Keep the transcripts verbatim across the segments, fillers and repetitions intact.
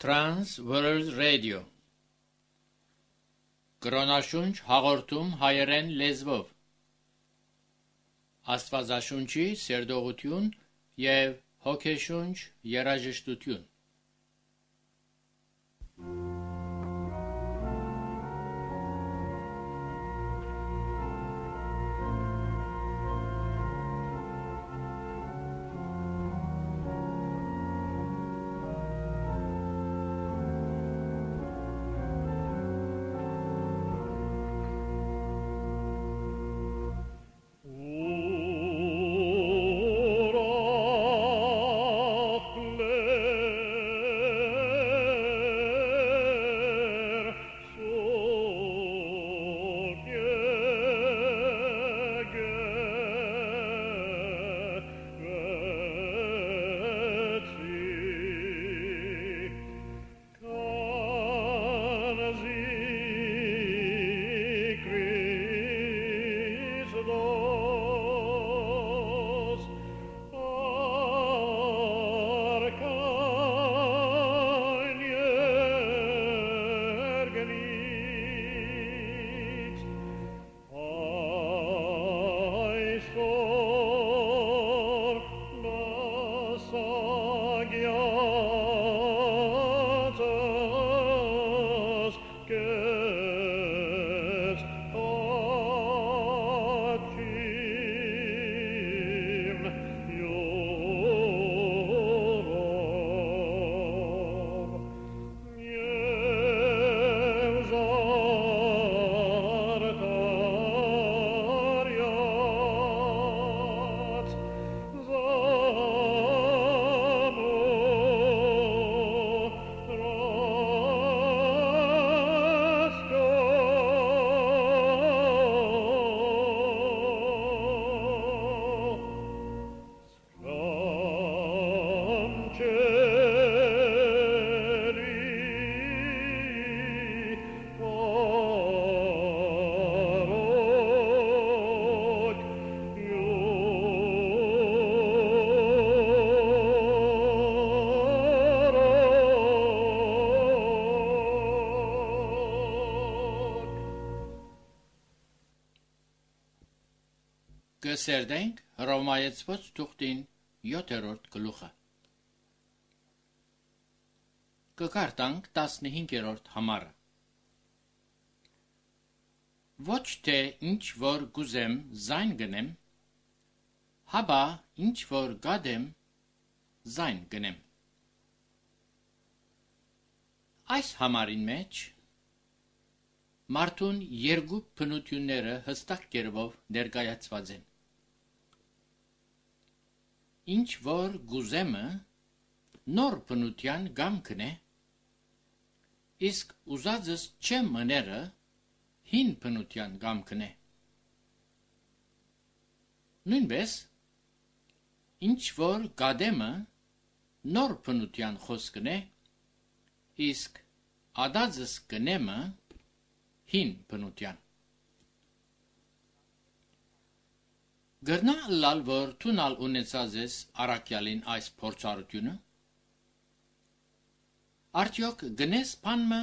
Trans World Radio Կրոնաշունչ հաղորդում հայերեն լեզվով Աստվածաշունչի սերտողություն և հոգեշունչ երաժշտություն Կսերդենք Հռոմայեցված թուղթին յոթերորդ գլուխը Կկարտանք տասնհինգերորդ համարը Ոչ թե ինչ որ գուզեմ զայն գնեմ, հաբա ինչ որ գադեմ զայն գնեմ Այս համարին մեջ մարդուն երկու բնությունները հստակ կերպով ներկայացված են Ինչ որ գուզեմը նոր բնության գամքն է, իսկ ուզածս չեմ մները հին բնության գամքն է։ Նույնպես, ինչ որ գադեմը նոր բնության խոսքն է, իսկ ադածս գնեմը հին բնության։ Գրնա լալ որ թունալ ունեցած ես առակյալին այս փորձառությունը Արդյոք գնես բանմը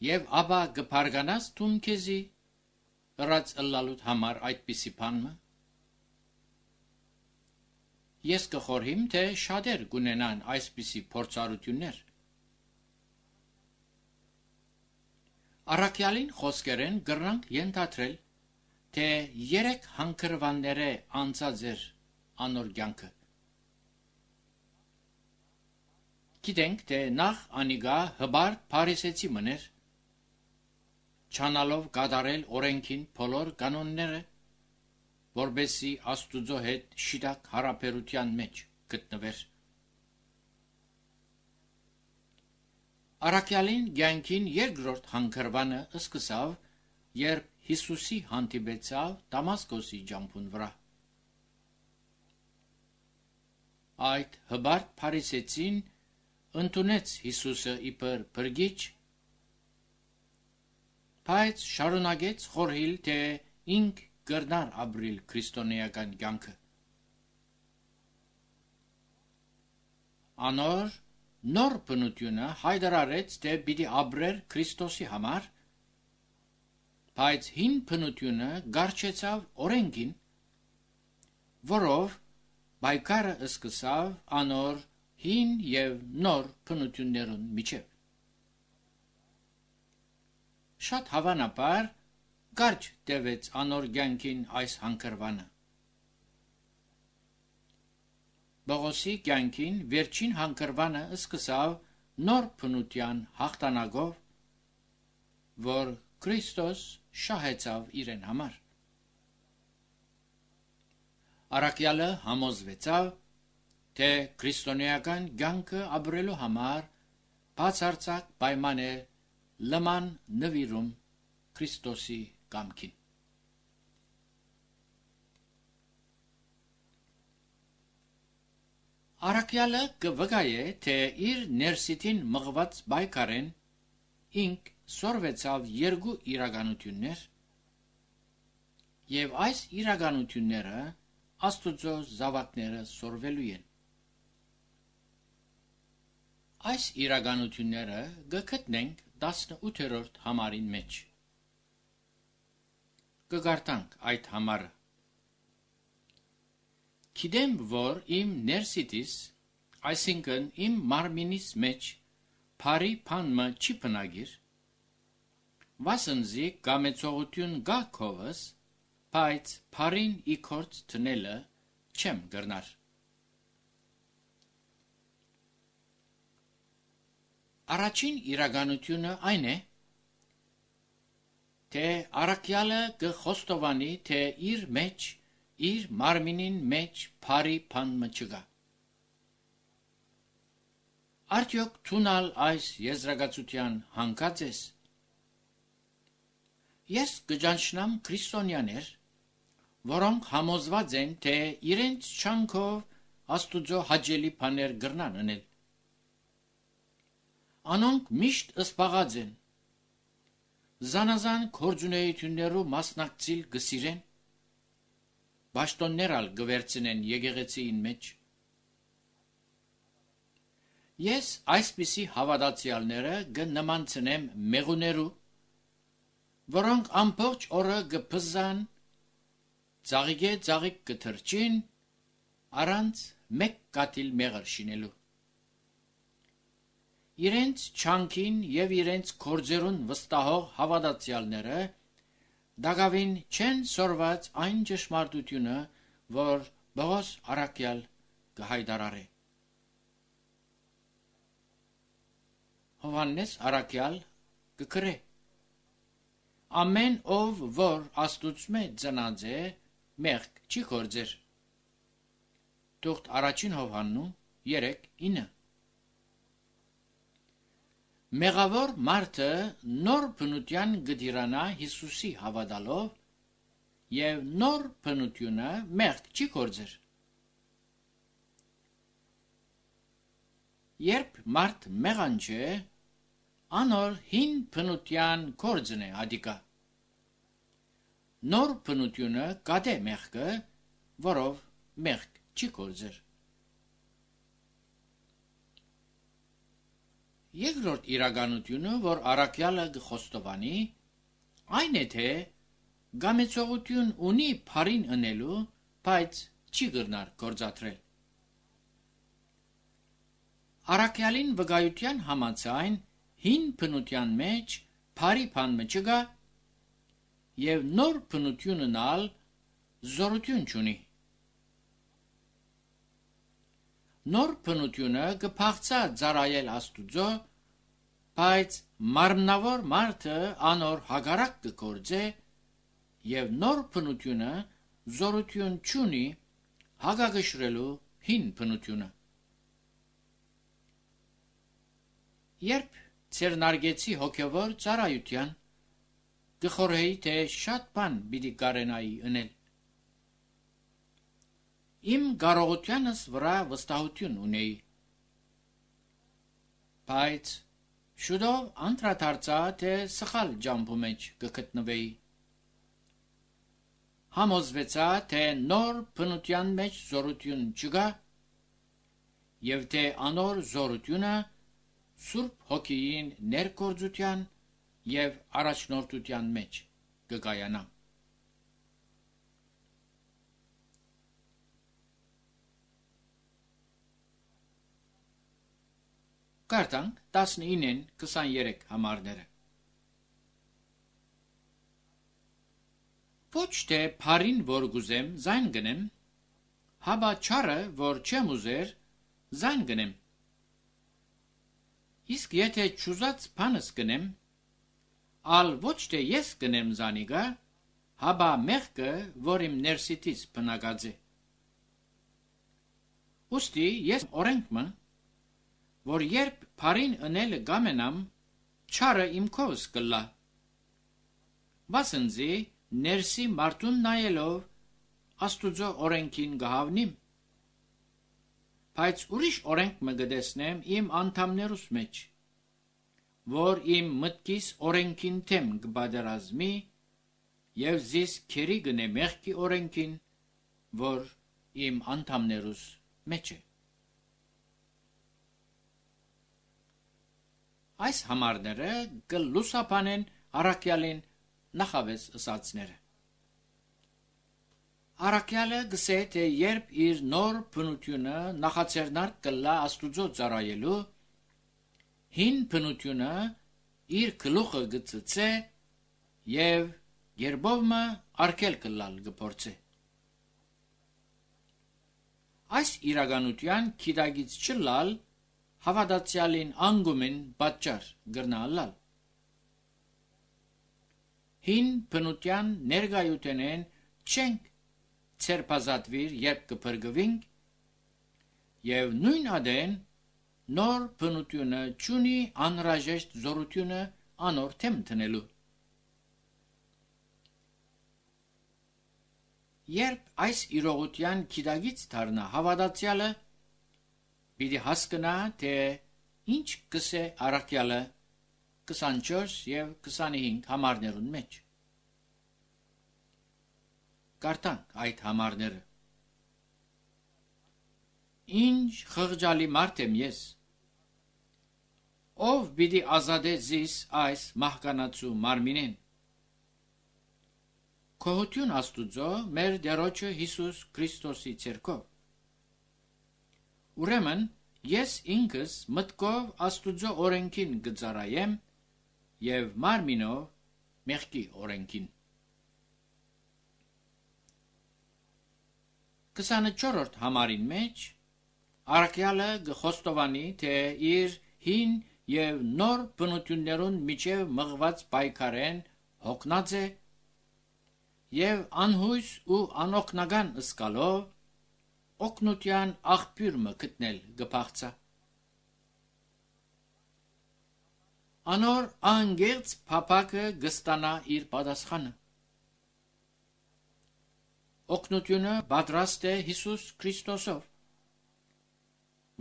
եւ ապա գփարգանաս թուն քեզի ըրած ըլլալուտ համար այդպիսի բանմը Ես կխորհիմ թե շատեր գունենան այսպիսի փորձառություններ Առակյալին խոսքերեն գրնանք ենթադրել թե երեք հանգրվանները անցած էր անոր կյանքը Գիտենք թե նախ անիգա հբարտ փարիսեցի մներ չանալով կատարել օրենքին բոլոր կանոնները որբեսի Աստուծո հետ շիրակ հարաբերության մեջ գտնվեր Առակյալին կյանքին երկրորդ հանգրվանը սկսավ երբ Հիսուսի հանդիպեցավ Դամասկոսի ջամփուն վրա Այդ հբարտ փարիսեցին ընդունեց Հիսուսը իբր բրգիչ Բայց շարունակեց խորհել, թե ինք կրնար ապրիլ քրիստոնեական կյանքը։ Անոր նոր բնությունը հայտարարեց, թե պիտի ապրեր Քրիստոսի համար, բայց հին բնությունը գարչեցավ օրենքին, որով պայքարը սկսավ անոր հին եւ նոր բնություններուն միջև։ Շատ հավանաբար գարչ տևեց անոր կյանքին այս հանգրվանը։ Պողոսի կյանքին վերջին հանգրվանը սկսավ նոր բնության հաղթանակով, որ Քրիստոս շահեցավ իրեն համար։ Առաքյալը համոզվեցավ, թե քրիստոնեական կյանքը ապրելու համար բացարձակ պայման է լման նվիրում Քրիստոսի կամքին։ Առաքյալը կվկայե, թե իր ներսիտին մղված պայքարեն ինք սորվեցավ երկու իրականություններ, եւ այս իրականությունները Աստուծո զավակները սորվելու են։ Այս իրականությունները գտնենք տասնութերորդ համարին մեջ։ Կգարտանք այդ համարը։ Գիտեմ, որ իմ ներսիտիս, այսինքն իմ մարմինիս մեջ, բարի բանը չի բնագիր, վասնզի կամեցողություն գա քովս, բայց բարին իքորց տնելը չեմ գրնար։ Առաջին իրականությունը այն է, թե առաքյալը կխոստովանի, թե իր մեջ, իր մարմինին մեջ բարի բան չկա։ Արդյոք թունալ այս եզրակացության հանգած ես։ Ես կճանչնամ քրիստոնյաներ, որոնք համոզված են, թե իրենց չանքով Աստուծո հաճելի բաներ գրնան անել։ Անոնք միշտ ըսպաղած են, զանազան գործունեություններու մասնակցիլ գսիրեն, բաշտոններ ալ գվերցնեն եկեղեցին մեջ։ Ես այսպիսի հավատացյալները կնմանցնեմ մեղուներու, որոնք ամբողջ օրը կփզան, ծաղիկե ծաղիկ կթրջին, առանց մեկ կաթիլ մեղր շինելու։ Իրենց չանքին եւ իրենց գործերուն վստահող հավատացյալները դակավին չեն սորված այն ճշմարտությունը, որ Պողոս առաքյալ կհայտարարե։ Հովհաննես առաքյալ կգրե. ամեն ով որ Աստուծմե ծնած է, մեղք չի գործեր։ Թուղթ առաջին Հովհաննու երեք ինը։ Մեղավոր մարդը նոր բնության գդիրանա Հիսուսի հավատալով եւ նոր բնությունը մեղք չի գործեր։ Երբ մարդ մեղանջ է, անոր հին բնության գործն է ադիկա։ Նոր բնությունը կատե մեղքը, որով մեղք չի գործեր։ Երկրորդ իրականությունը, որ առաքյալը կխոստովանի, այն է, թե գամեցողություն ունի բարին ընելու, բայց չի գրնար գործադրել։ Առաքյալին վկայության համաձայն հին բնության մեջ բարի բան չկա եւ նոր բնությունն ալ զորություն չունի։ Նոր բնությունը կփախցա ծառայել Աստուծո, բայց մարմնավոր մարդը անոր հագարակ կգործե եւ նոր բնությունը զորություն չունի հագագշրելու հին բնությունը։ Երբ ցերնարգեցի հոգևոր ծառայության կխորհեի, թե շատ բան պիտի կարենայի ընել։ Իմ կարողությանս վրա վստահություն ունեի, բայց շուտով անդրադարձա, թե սխալ ջամփու մեջ կգտնվեի։ Համոզվեցա, թե նոր բնության մեջ զորություն չկա եւ թե անոր զորությունը Սուրբ Հոգիին ներգործության եւ առաջնորդության մեջ կգայանա։ Կարդանք տասնինին քսաներեք համարները։ Ոչ թե փարին որ գուզեմ զայն գնեմ, հաբա չարը որ չեմ ուզեր զայն գնեմ։ Իսկ եթե չուզած բանս գնեմ, ալ ոչ թե ես գնեմ զանիգա, հաբա մեղքը, որ իմ ներսիտից բնակած է։ Ուստի ես օրենքմը, որ երբ փարին ընելը գամենամ, չարը իմ քովս կլա։ Վասնզի ներսի մարդուն նայելով Աստուծո օրենքին գահավնիմ, բայց ուրիշ օրենք մը գտեսնեմ իմ անդամներուս մեջ, որ իմ մտքիս օրենքին թեմ կբادرազմի եւ զիս քերի գնե մեղքի օրենքին, որ իմ անդամներուս մեջ է։ Այս համարները կլուսապանեն առաքյալին նախավես ըսածները։ Առաքյալը գսե թե երբ իր նոր բնությունը նախաձեռնարկ կլա Աստուծո ծառայելու, հին բնությունը իր գլուխը գծծե եւ երբովմը արկել կլալ գփորձե։ Այս իրականության քիդագից չլալ հավատացյալին անգումին պատճառ գրնալալ։ Հին բնության ներգայութենեն չենք ցերպազատվիր երբ կփրկվինք եւ նույն ադեն նոր բնությունը ճունի անհրաժեշտ զորությունը անոր թեմ տնելու։ Երբ այս իրողության քիդագից դառնա հավատացյալը, պիտի հասկանա, թե ինչ կսե առաքյալը քսանչորս եւ քսանհինգ համարներուն մեջ։ Կարդանք այդ համարները։ Ինչ խղճալի մարդ եմ ես, ով պիտի ազատե զիս այս մահկանացու մարմինեն։ Քոհություն Աստուծո մեր Տերոջը Հիսուս Քրիստոսի ցերկով։ Ուրեմն ես ինքս մտքով Աստուծո օրենքին կծառայեմ եւ մարմինով մեղքի օրենքին։ քսանչորրորդ համարին մեջ առաքյալը գխոստովանի, թե իր հին եւ նոր բնություններուն միջև մղված պայքարեն հոգնած է եւ անհույս ու անօգնական ըսկալով օգնության աղբյուր մը գտնել գփախցա։ Անոր անգերց փապակը գստանա իր պատասխանը։ Օգնությունը պատրաստ է Հիսուս Քրիստոսով,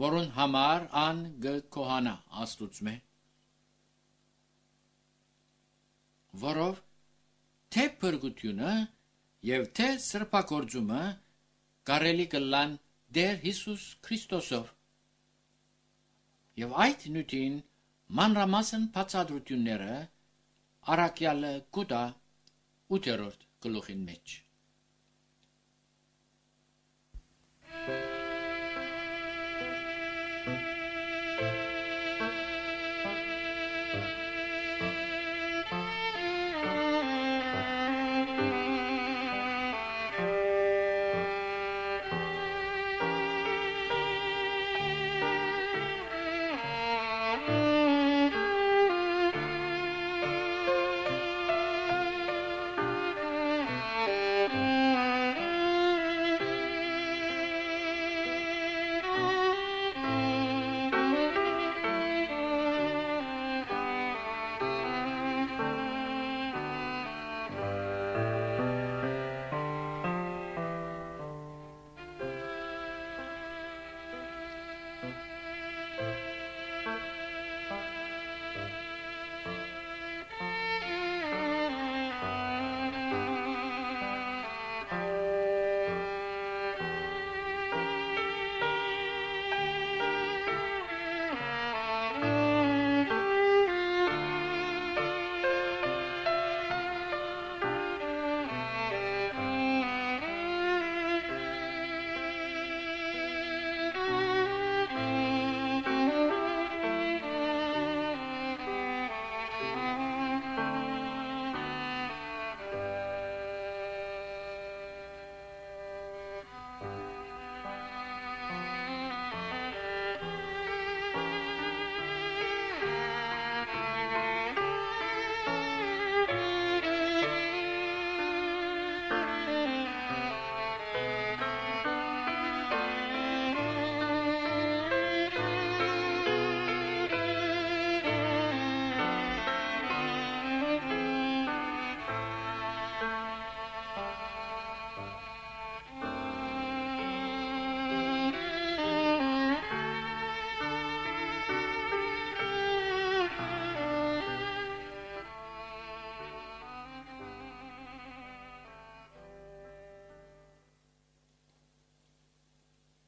որուն համար ան գկոհանա Աստուծմե, որով թե փրկությունը եւ թե սրբակորձումը կարելի կլան Տեր Հիսուս Քրիստոսով, եւ այդ նյութին մանրամասն բացատրությունները առաքյալը կուտա ութերորդ գլուխին մեջ։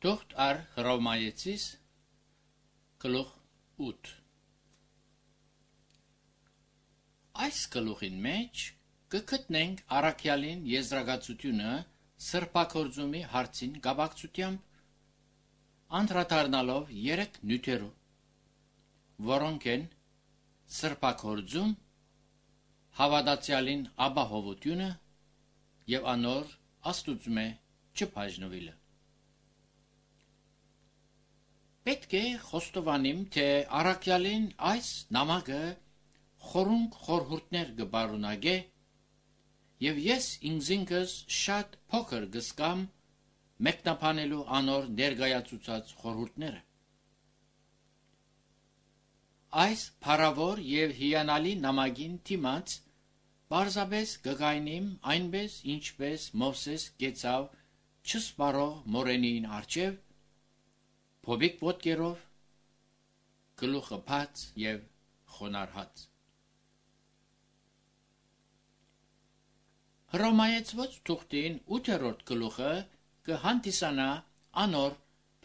Թուղթ առ Հռոմայեցիս գլուխ ութ Այս գլուխին մեջ կգտնենք առաքյալին եզրակացությունը սրբակորձումի հարցին կապակցությամբ անդրադառնալով երեք նյութերու, որոնք են սրբակորձում, հավատացյալին ապահովությունը եւ անոր Աստուծմե չբաժնվելը։ Պետք է խոստովանիմ, թե առաքյալին այս նամակը խորունկ խորհուրդներ կբարունագե եւ ես ինքզինքս շատ փոքր գսկամ մեկնաբանելու անոր ներկայացուցած խորհուրդները։ Այս փառավոր եւ հիանալի նամակին դիմաց պարզապես կգայնիմ այնպես ինչպես Մովսես գեցավ չսպարող մորենին առջև փոբիկ ոտքերով գլուխը բաց եւ խոնարհած։ Հռոմայեցված թուղթին ութերորդ գլուխը կհանդիսանա անոր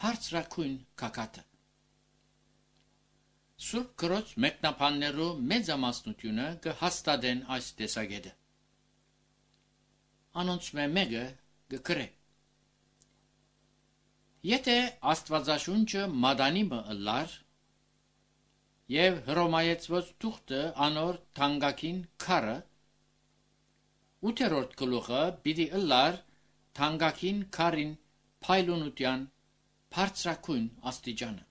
բարձրակույն գագաթը։ Սուրբ գրոց մեկնաբաններու մեծամասնությունը կհաստատեն այս տեսակետը։ Անոնց մեկը կգրե. Եթե Աստվածաշունչը մատանիմը ըլլար եւ Հռոմայեցված թուղթը անոր թանկագին քարը, ութերորդ գլուխը պիտի ըլլար թանկագին քարին փայլունության բարձրակույն աստիճանը։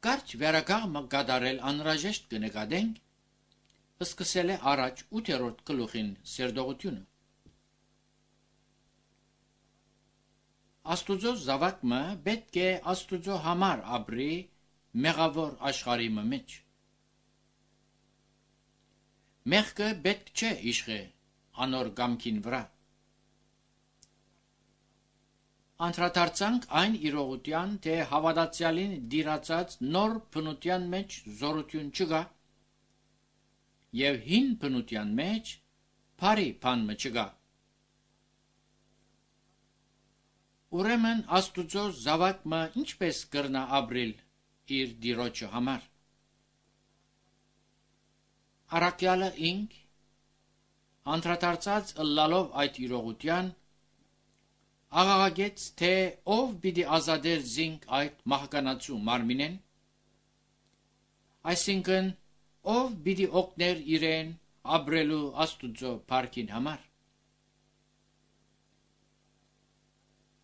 Կարճ վերականգնը կատարել անհրաժեշտ կնկատենք, սկսել է առաջ ութերորդ գլուխին սերտողությունը։ Աստուծո զավակը պետք է Աստուծո համար ապրի մեղավոր աշխարհի մեջ։ Մեղքը պետք չէ իշխե անոր կամքին վրա։ Անդրադարձանք այն իրողության, թե հավատացյալին դիրացած նոր բնության մեջ զորություն չկա եւ հին բնության մեջ բարի բան չկա։ Ուրեմն Աստուծո զավակը ինչպես կրնա ապրել իր դիրոջը համար։ Առաքյալը ինք անդրադարձած ըլլալով այդ իրողության աղաղակեց, թե ով պիտի ազատեր զինք այդ մահկանացու մարմինեն, այսինքն ով պիտի օգներ իրեն ապրելու Աստուծո փառքին համար։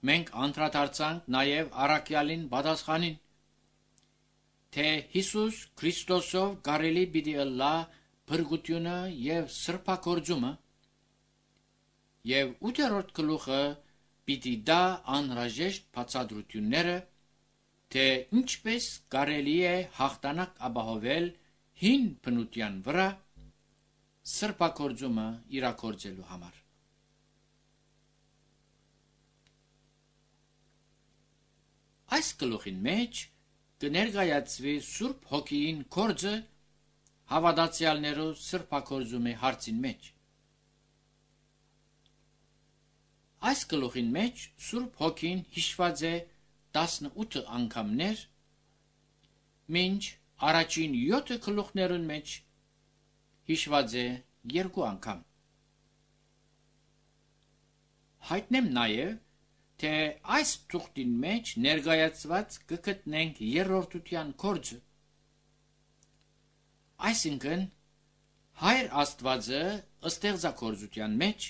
Մենք անդրադարձանք նաև առաքյալին պատասխանին, թե Հիսուս Քրիստոսով կարելի պիտի ըլլա փրկությունը եւ սրբակորձումը, եւ ութերորդ գլուխը պիտի դա անհրաժեշտ բացատրությունները, թե ինչպես կարելի է հաղթանակ ապահովել հին բնության վրա սրբակորձումը իրագործելու համար։ Այս գլուխին մեջ կներկայացվի Սուրբ Հոգին գործը հավատացյալներու սրբակորձումի հարցին մեջ։ Այս գլուխին մեջ Սուրբ Հոգին հիշված է տասնութ անգամներ, մինչ առաջին յոթ գլուխներուն մեջ հիշված է երկու անգամ։ Հայտնեմ նաև, թե այս թուղթին մեջ ներկայացված կգտնենք երրորդության գործը, այսինքն Հայր Աստվածը ստեղծագործության մեջ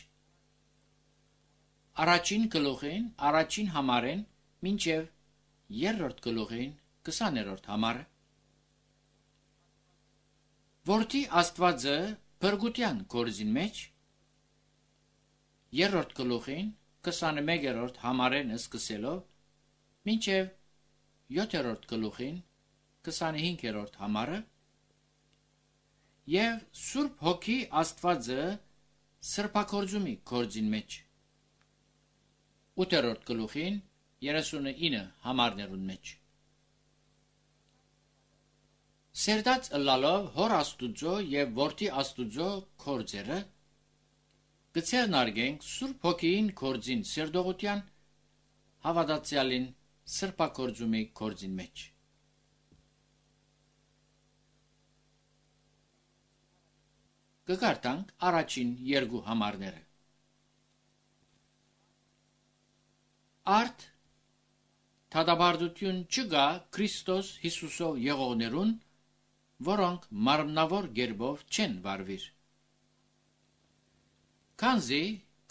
առաջին գլուխին, առաջին համարեն մինչև երրորդ գլուխին քսաներորդ համարը, Որդի Աստվածը փրկության գործին մեջ երրորդ գլուխին քսաներորդ համարեն սկսելով մինչև յոթերորդ գլուխին քսանհինգերորդ համարը եւ Սուրբ Հոգի Աստվածը սրբակորձումի գործին մեջ ութերորդ գլուխին երեսունինը համարներուն մեջ Սերդած ըլլալով հոր Աստուծո եւ որդի Աստուծո գործերը կցերնարգենք Սուրբ Հոգին կորձին սերդողության, հավատացյալին սրբակորձումի կորձին մեջ։ Կգարտանք առաջին երկու համարները։ Արդ թադաբարդություն չկա Քրիստոս Հիսուսով եղողներուն, որոնք մարմնավոր գերբով չեն վարվիր։ Քանզի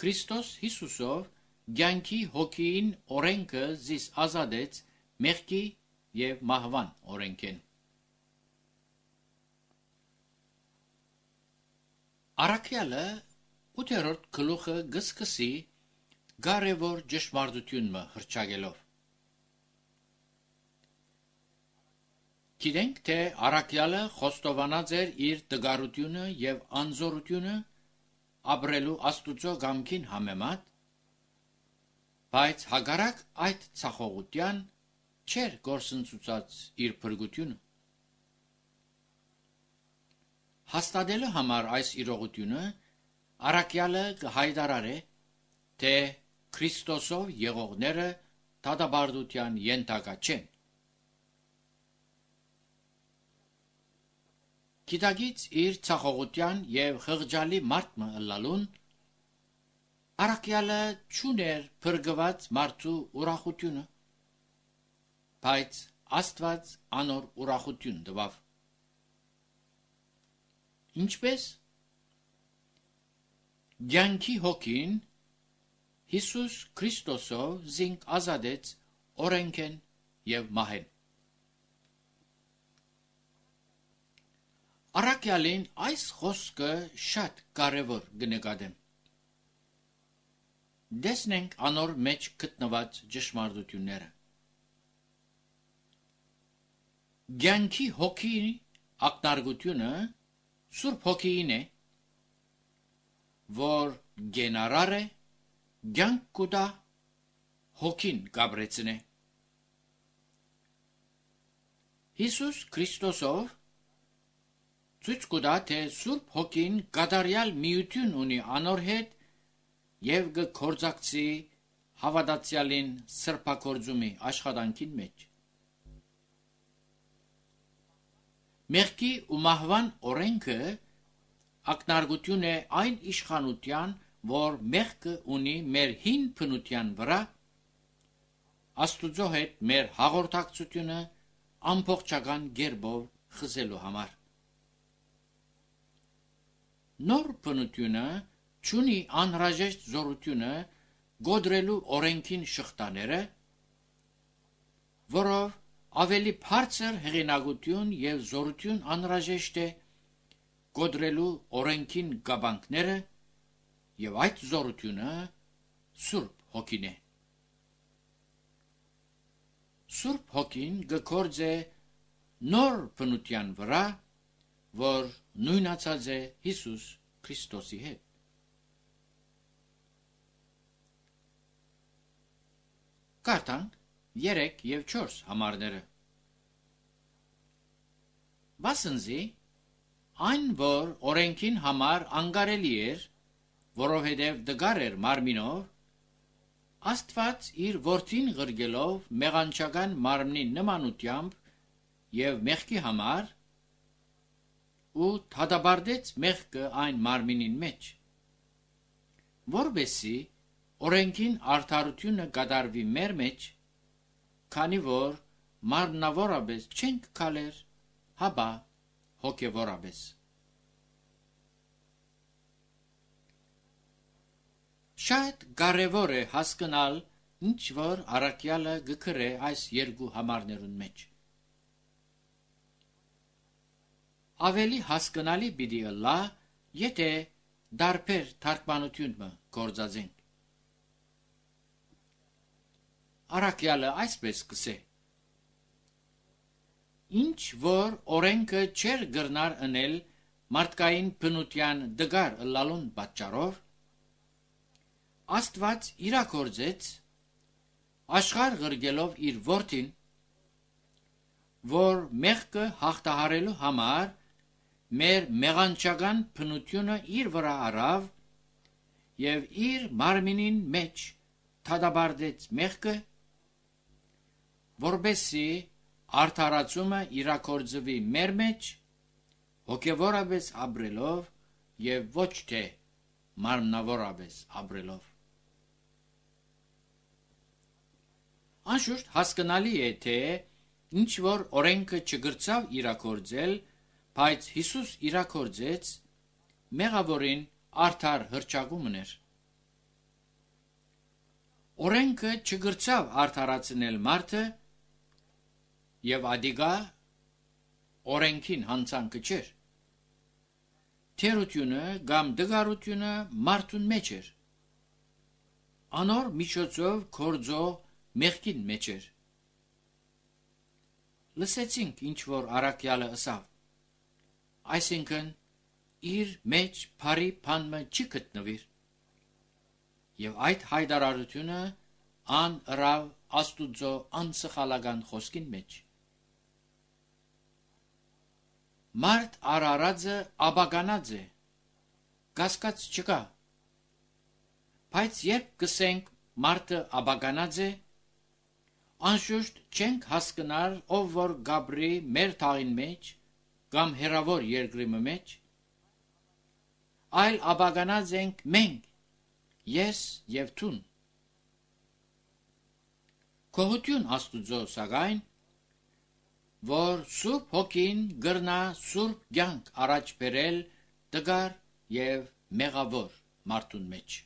Քրիստոս Հիսուսով կյանքի հոգին օրենքը զիս ազատեց մեղքի եւ մահվան օրենքեն։ Առաքյալը ութերորդ գլուխը գսկսի կարևոր ճշմարտությունը հռչակելով։ Գիտենք, թե առաքյալը խոստովանած էր իր տգարությունը եւ անզորությունը ապրելու Աստուծո կամքին համեմատ, բայց հակառակ այդ ցախողության չէր գործընծուցած իր փրկությունը։ Հաստատելու համար այս իրողությունը առաքյալը կհայտարարե, թե Քրիստոսով եղողները դատաբարդության ենթակա չեն։ Գիտակից իր ցախողության եւ խղճալի մարտը ըլլալուն առաքյալը չուներ փրկված մարդու ուրախությունը, բայց Աստված անոր ուրախություն տվավ։ Ինչպես կյանքի հոգին Հիսուս Քրիստոսով զինք ազատեց օրենքեն եւ մահեն։ Առաքյալին այս խոսքը շատ կարևոր կնկատեմ։ Դեսնենք անոր մեջ գտնված ճշմարտությունները։ Կյանքի հոգի ակնարկությունը Սուրբ Հոգին է, որ գենարար է, կյանք կուտա, հոգին կաբրեցնե։ Հիսուս Քրիստոսով ցույց կտա, թե Սուրբ Հոգին կատարյալ միություն ունի անոր հետ եւ կգործակցի հավատացյալին սրբակորձումի աշխատանքին մեջ։ Մեղքի ու մահվան օրենքը ակնարկություն է այն իշխանության, որ մեղքը ունի մեր հին բնության վրա, Աստուծո հետ մեր հաղորդակցությունը ամբողջական կերպով խզելու համար։ Նոր բնությունը չունի անհրաժեշտ զորությունը գոդրելու օրենքին շղթաները, որով ավելի բարձր հեղինակություն եւ զորություն անհրաժեշտ է գոդրելու օրենքին գաբանքները եւ այդ զորությունը Սուրբ Հոգին է։ Սուրբ Հոգին գործ է նոր բնության վրա, որ նույնացած է Հիսուս Քրիստոսի հետ։ Կարդանք երեք եւ չորս համարները։ Վասնզի այն, որ օրենքին համար անկարելի էր, որովհետև դգար էր մարմինով, Աստված իր որդին ղրգելով մեղանչական մարմնի նմանությամբ եւ մեղքի համար ու թադաբարդեց մեղքը այն մարմինին մեջ, որբեսի օրենքին արդարությունը կատարվի մեր մեջ, քանի որ մարմնավորապես չենք քալեր, հաբա հոգևորապես։ Շատ կարևոր է հասկանալ, ինչ որ առաքյալը գկրե այս երկու համարներուն մեջ։ Ավելի հասկանալի պիտի ըլլա, եթե դարբեր թարգմանությունը գործածենք։ Առաքյալը այսպես կսե. Ինչ որ օրենքը չեր գրնար ընել մարդկային բնության դգար ըլլալուն պատճառով, Աստված իրագործեց աշխարհ ղրգելով իր որդին, որ մեղքը հաղթահարելու համար մեր մեղանչական բնությունը իր վրա առավ եւ իր մարմինին մեջ թադաբարդեց մեղքը, որբեսի արդարացումը իրակորձվի մեր մեջ հոգևորապես ապրելով եւ ոչ թե մարմնավորապես ապրելով։ Անշուշտ հասկանալի է, թե ինչ որ օրենքը չգրծավ իրակորձել, բայց Հիսուս իրակորձեց, մեղավորին արդար հրճակումն էր։ Օրենքը չգրծավ արդարացնել մարդը եւ ադիգա օրենքին հանցանքը չէր։ Թերությունը կամ դգարությունը մարդուն մեջ էր։ Անոր միջոցով կորձող մեղքին մեջ էր։ Լսեցինք ինչ որ առաքյալը ըսավ, այսինքն իր մեջ բարի բանը չի գտնվիր, եւ այդ հայտարարությունը ան ըրավ Աստուծո անսխալական խոսքին մեջ։ Մարդ արարածը աբականած է, կասկած չկա, բայց երբ կսենք մարդը աբականած է, անշուշտ չենք հասկնար ով որ գաբրի մեր թաղին մեջ կամ հերավոր երկրի մեջ, այլ աբականած ենք մենք, ես եւ տուն։ Կողություն Աստուծո սակայն, որ Սուրբ Հոգին գրնա Սուրբ կյանք առաջ բերել տգար եւ մեղավոր մարդուն մեջ։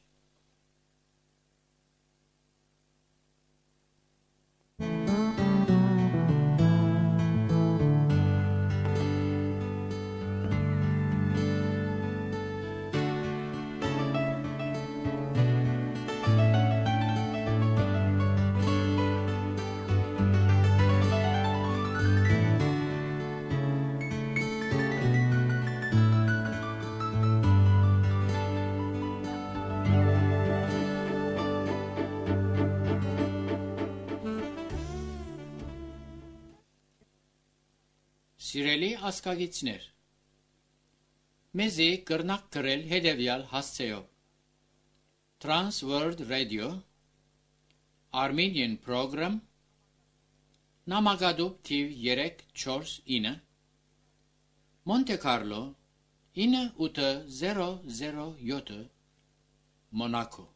Սիրելի ասկագիցներ, մեզի կրնակ գրել հետևյալ հասցեով. Trans World Radio, Armenian Program, Նամակադուբ թիվ երեք չորս ինը, Monte Carlo ինը ութ զերո զերո յոթ, Monaco։